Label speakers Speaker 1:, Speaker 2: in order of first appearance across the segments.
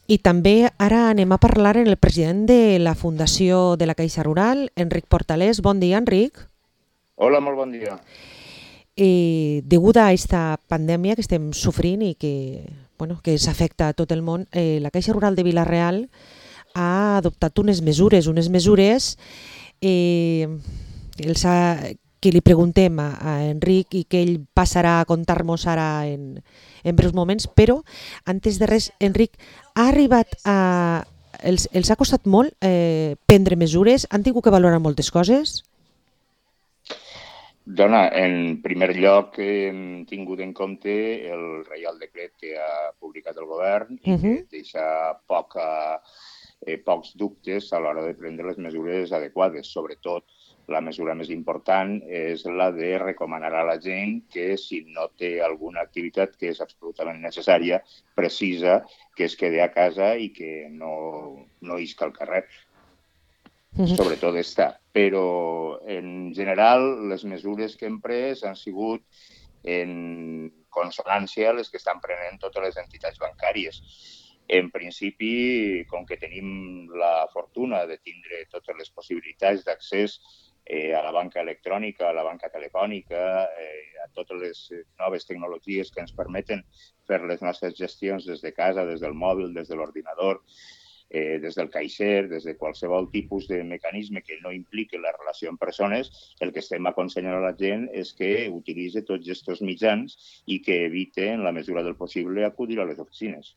Speaker 1: I també ara anem a parlar amb el president de la Fundació de la Caixa Rural, Enric Portalés. Bon dia, Enric.
Speaker 2: Hola, molt bon dia.
Speaker 1: Degut a esta pandèmia que estem sofrint i que s'afecta a tot el món, la Caixa Rural de Vila-real ha adoptat unes mesures eh, que li preguntem a Enric i que ell passarà a contar-nos ara en breus moments, però antes de res, Enric, ha arribat a... Els ha costat molt prendre mesures? Han tingut que valorar moltes coses?
Speaker 2: Dona, en primer lloc hem tingut en compte el Reial Decret que ha publicat el govern i que deixa pocs dubtes a l'hora de prendre les mesures adequades. Sobretot, la mesura més important és la de recomanar a la gent que si no té alguna activitat que és absolutament necessària, precisa, que es quedi a casa i que no isca al carrer. Sobretot està. Però, en general, les mesures que hem pres han sigut en consonància les que estan prenent totes les entitats bancàries. En principi, com que tenim la fortuna de tindre totes les possibilitats d'accés a la banca electrònica, a la banca telefònica, a totes les noves tecnologies que ens permeten fer les nostres gestions des de casa, des del mòbil, des de l'ordinador, des del caixer, des de qualsevol tipus de mecanisme que no impliqui la relació amb persones, el que estem aconsellant a la gent és que utilitzi tots aquests mitjans i que evite, en la mesura del possible, acudir a les oficines.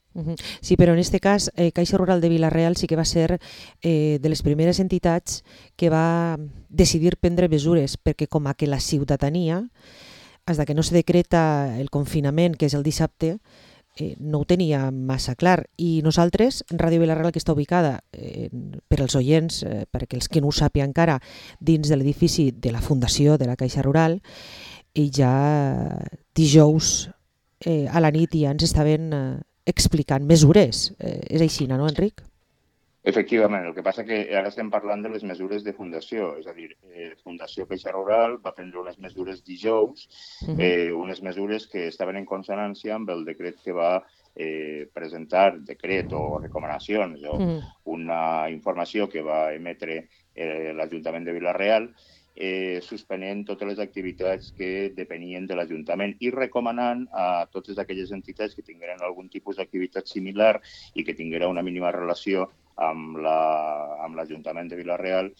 Speaker 1: Sí, però en aquest cas, Caixa Rural de Vila-real sí que va ser de les primeres entitats que va decidir prendre mesures, perquè com a que la ciutadania, fins que no se decreta el confinament, que és el dissabte, no ho tenia massa clar. I nosaltres, Ràdio Vila-real, que està ubicada per als oients, perquè els que no ho sàpia encara, dins de l'edifici de la Fundació de la Caixa Rural, i ja dijous a la nit ja ens estaven explicant mesures. És així, no, Enric?
Speaker 2: Efectivament, el que passa que ara estem parlant de les mesures de fundació, és a dir, Fundació Caixa Rural va prendre unes mesures dijous, unes mesures que estaven en consonància amb el decret que va presentar, decret o recomanacions o una informació que va emetre l'Ajuntament de Vila-real, suspenent totes les activitats que depenien de l'Ajuntament i recomanant a totes aquelles entitats que tingueren algun tipus d'activitat similar i que tinguera una mínima relació amb l'Ajuntament de Vila-real,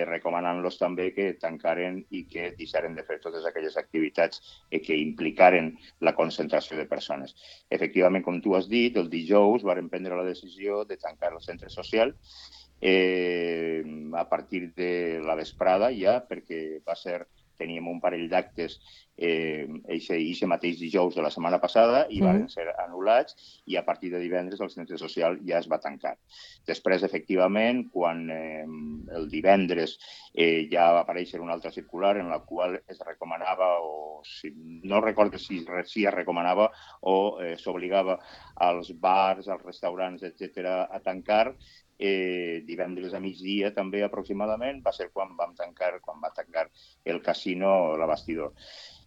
Speaker 2: recomanant-los també que tancaren i que deixaren de fer totes aquelles activitats que implicaren la concentració de persones. Efectivament, com tu has dit, el dijous varen prendre la decisió de tancar el centre social a partir de la vesprada ja, perquè teníem un parell d'actes eixe mateix dijous de la setmana passada i van ser anul·lats i a partir de divendres el centre social ja es va tancar. Després, efectivament, quan el divendres ja va aparèixer una altra circular en la qual es recomanava, o no recordo si es recomanava o s'obligava als bars, als restaurants, etc., a tancar, divendres a migdia també aproximadament va ser quan va tancar el casino La Bastidor.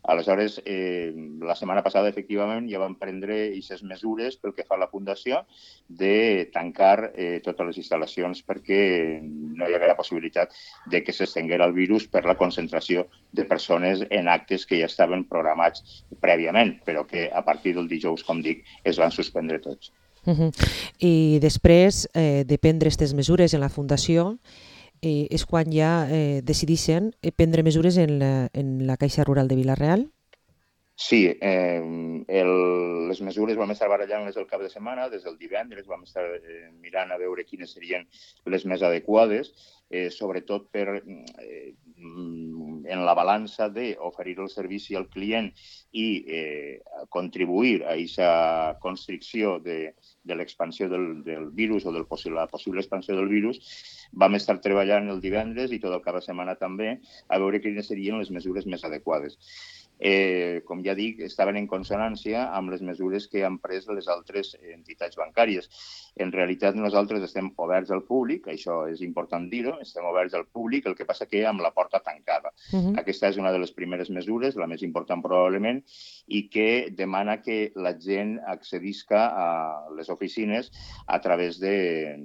Speaker 2: Aleshores, la setmana passada, efectivament, ja vam prendre aquestes mesures pel que fa a la Fundació de tancar totes les instal·lacions perquè no hi havia la possibilitat de que s'estenguera el virus per la concentració de persones en actes que ja estaven programats prèviament, però que a partir del dijous, com dic, es van suspendre tots.
Speaker 1: I després de prendre aquestes mesures en la Fundació és quan ja decideixen prendre mesures en la Caixa Rural de Vila-real?
Speaker 2: Sí, les mesures vam estar barallant-les el cap de setmana, des del divendres vam estar mirant a veure quines serien les més adequades, sobretot en la balança d'oferir el servici al client i contribuir a aquesta constricció de l'expansió del virus o de la possible expansió del virus. Vam estar treballant el divendres i tot el cap de setmana també a veure quines serien les mesures més adequades. Com ja dic, estaven en consonància amb les mesures que han pres les altres entitats bancàries. En realitat nosaltres estem oberts al públic, això és important dir-ho, estem oberts al públic, el que passa que amb la porta tancada. Aquesta és una de les primeres mesures, la més important probablement, i que demana que la gent accedisca a les oficines a través de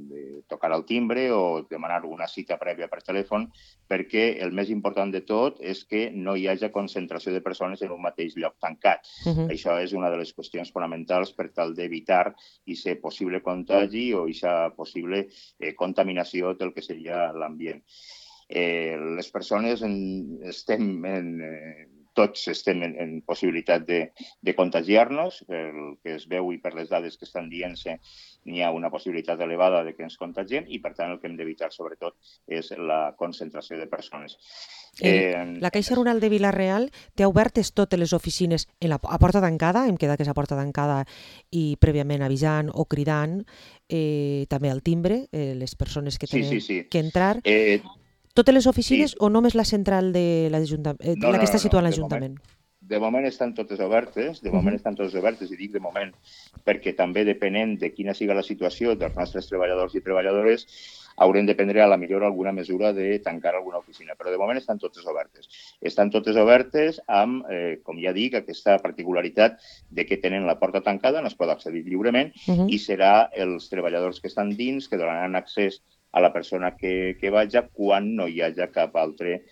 Speaker 2: tocar el timbre o demanar una cita prèvia per telèfon, perquè el més important de tot és que no hi hagi concentració de persones en un mateix lloc tancat. Això és una de les qüestions fonamentals per tal d'evitar aquest possible contagi o aquesta possible contaminació del que seria l'ambient. Les persones tots estem en possibilitat de contagiar-nos, pel que es veu i per les dades que estan dient-se, n'hi ha una possibilitat elevada de que ens contagiem i, per tant, el que hem d'evitar, sobretot, és la concentració de persones.
Speaker 1: La Caixa Rural de Vila-real té obertes totes les oficines a porta tancada, hem quedat que és a porta tancada i prèviament avisant o cridant, també al timbre, les persones que tenen que entrar. Totes les oficines o només la central de l'Ajuntament, la que està situada a l'Ajuntament?
Speaker 2: De moment estan totes obertes, i dic de moment perquè també depenent de quina siga la situació dels nostres treballadors i treballadores, haurem de prendre a la millor alguna mesura de tancar alguna oficina, però de moment estan totes obertes. Estan totes obertes amb, com ja dic, aquesta particularitat de que tenen la porta tancada, no es pot accedir lliurement, i serà els treballadors que estan dins que donaran accés a la persona que vagi quan no hi hagi cap altre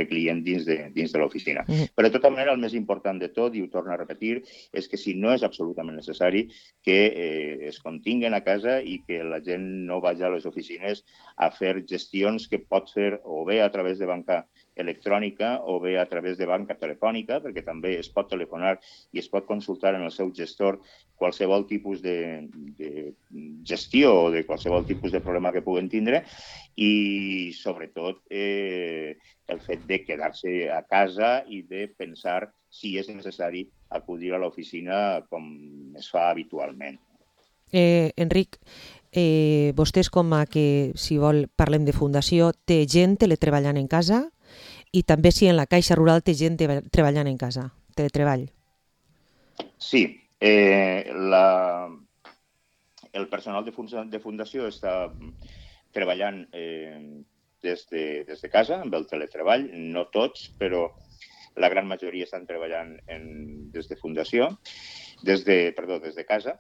Speaker 2: client dins de l'oficina. Però de tota manera, el més important de tot, i ho torno a repetir, és que si no és absolutament necessari, que es continguen a casa i que la gent no vagi a les oficines a fer gestions que pot fer o bé a través de banca electrònica o bé a través de banca telefònica, perquè també es pot telefonar i es pot consultar en el seu gestor qualsevol tipus de gestió o de qualsevol tipus de problema que puguen tindre i, sobretot, el fet de quedar-se a casa i de pensar si és necessari acudir a l'oficina com es fa habitualment.
Speaker 1: Enric, vostès com a que, si vol, parlem de fundació, té gent teletreballant en casa i també si en la Caixa Rural té gent treballant en casa, teletreball. Sí,
Speaker 2: el personal de fundació està treballant des de casa, amb el teletreball, no tots, però la gran majoria estan treballant des de fundació, des de casa.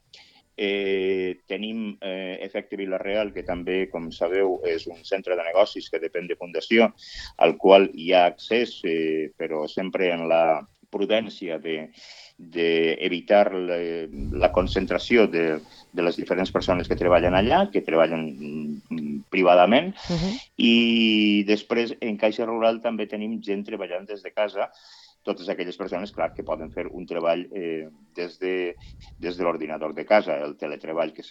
Speaker 2: Tenim Efecte Vila-real, que també, com sabeu, és un centre de negocis que depèn de fundació, al qual hi ha accés, però sempre en la prudència d'evitar la concentració de les diferents persones que treballen allà, que treballen privadament. I després, en Caixa Rural, també tenim gent treballant des de casa, totes aquelles persones, clar, que poden fer un treball des de l'ordinador de casa, el teletreball que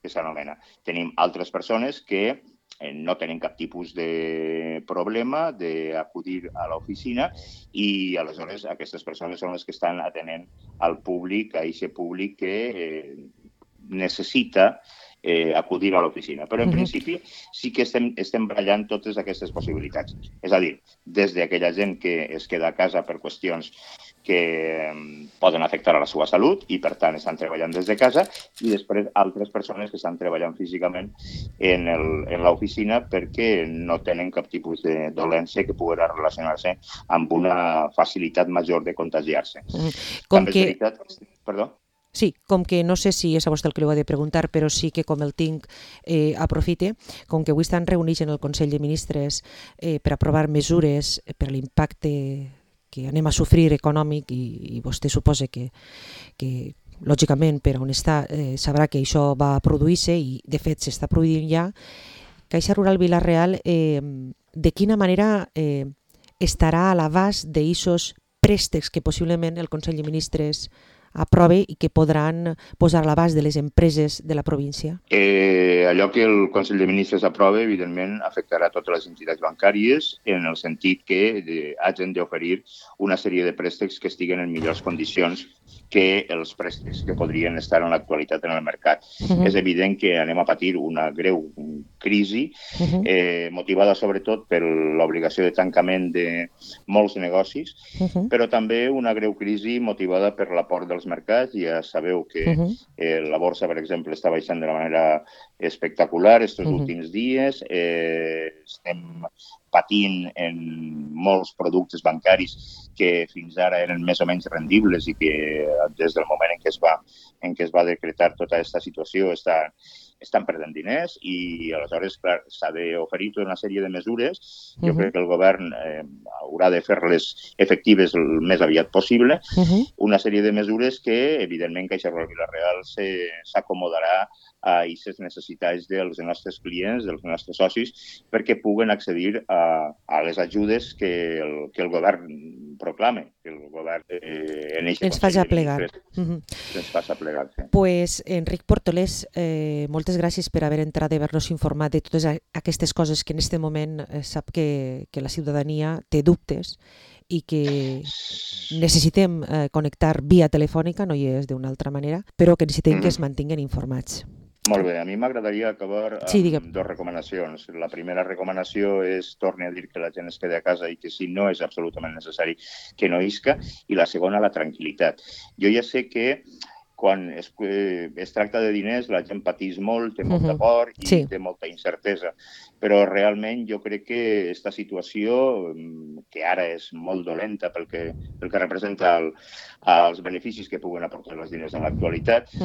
Speaker 2: s'anomena. Tenim altres persones que no tenen cap tipus de problema d'acudir a l'oficina i, aleshores, aquestes persones són les que estan atenent al públic, a aquest públic que necessita acudir a l'oficina. Però, en principi, sí que estem barallant totes aquestes possibilitats. És a dir, des d'aquella gent que es queda a casa per qüestions que poden afectar a la seva salut i, per tant, estan treballant des de casa, i després altres persones que estan treballant físicament en l'oficina perquè no tenen cap tipus de dolència que pugui relacionar-se amb una facilitat major de contagiar-se. Perdó?
Speaker 1: Sí, com que no sé si és a vostè el que li ho he de preguntar, però sí que com el tinc aprofite, com que avui estan reunits en el Consell de Ministres per aprovar mesures per l'impacte que anem a sofrir econòmic i vostè suposa que lògicament per on està sabrà que això va produir-se i de fet s'està produint ja. Caixa Rural Vila-real, de quina manera estarà a l'abast d'aquests préstecs que possiblement el Consell de Ministres aprove i que podran posar a l'abast de les empreses de la província?
Speaker 2: Allò que el Consell de Ministres aprova, evidentment, afectarà totes les entitats bancàries en el sentit que hagin d'oferir una sèrie de préstecs que estiguen en millors condicions que els préstecs que podrien estar en l'actualitat en el mercat. És evident que anem a patir una greu crisi, motivada sobretot per l'obligació de tancament de molts negocis, però també una greu crisi motivada per l'aport dels mercats. Ja sabeu que la borsa, per exemple, està baixant de manera espectacular aquests últims dies. Estem patint en molts productes bancaris que fins ara eren més o menys rendibles i que des del moment en què es va decretar tota aquesta situació estan perdent diners i aleshores, clar, s'ha d'oferir tota una sèrie de mesures. Jo crec que el govern haurà de fer-les efectives el més aviat possible. Una sèrie de mesures que, evidentment, Caixa Rural Vila-real s'acomodarà a aquestes necessitats dels nostres clients, dels nostres socis, perquè puguen accedir a les ajudes que el govern proclama, que el govern
Speaker 1: ens faci aplegar.
Speaker 2: Ens faci aplegar, sí.
Speaker 1: Pues, Enric Portolés, moltes gràcies per haver entrat i haver-nos informat de totes aquestes coses que en aquest moment sap que la ciutadania té dubtes i que necessitem connectar via telefònica, no hi és d'una altra manera, però que necessitem que es mantinguen informats.
Speaker 2: Molt bé, a mi m'agradaria acabar amb dues recomanacions. La primera recomanació és, torni a dir que la gent es quedi a casa i que si no és absolutament necessari que no isca, i la segona, la tranquil·litat. Jo ja sé que quan es tracta de diners la gent patís molt, té molta por i té molta incertesa, però realment jo crec que aquesta situació, que ara és molt dolenta pel que representa els beneficis que puguen aportar els diners en l'actualitat,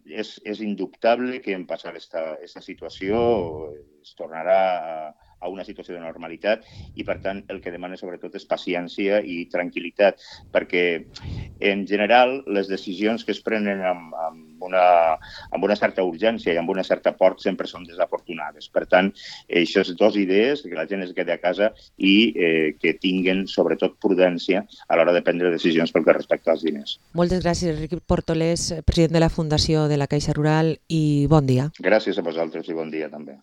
Speaker 2: és indubtable que en passar aquesta situació es tornarà a una situació de normalitat i, per tant, el que demana sobretot és paciència i tranquil·litat, perquè en general les decisions que es prenen amb una certa urgència i amb una certa por sempre són desafortunades. Per tant, aquestes dues idees, que la gent es quedi a casa i que tinguen sobretot prudència a l'hora de prendre decisions pel que respecta als diners.
Speaker 1: Moltes gràcies, Enric Portolés, president de la Fundació de la Caixa Rural, i bon dia.
Speaker 2: Gràcies a vosaltres i bon dia també.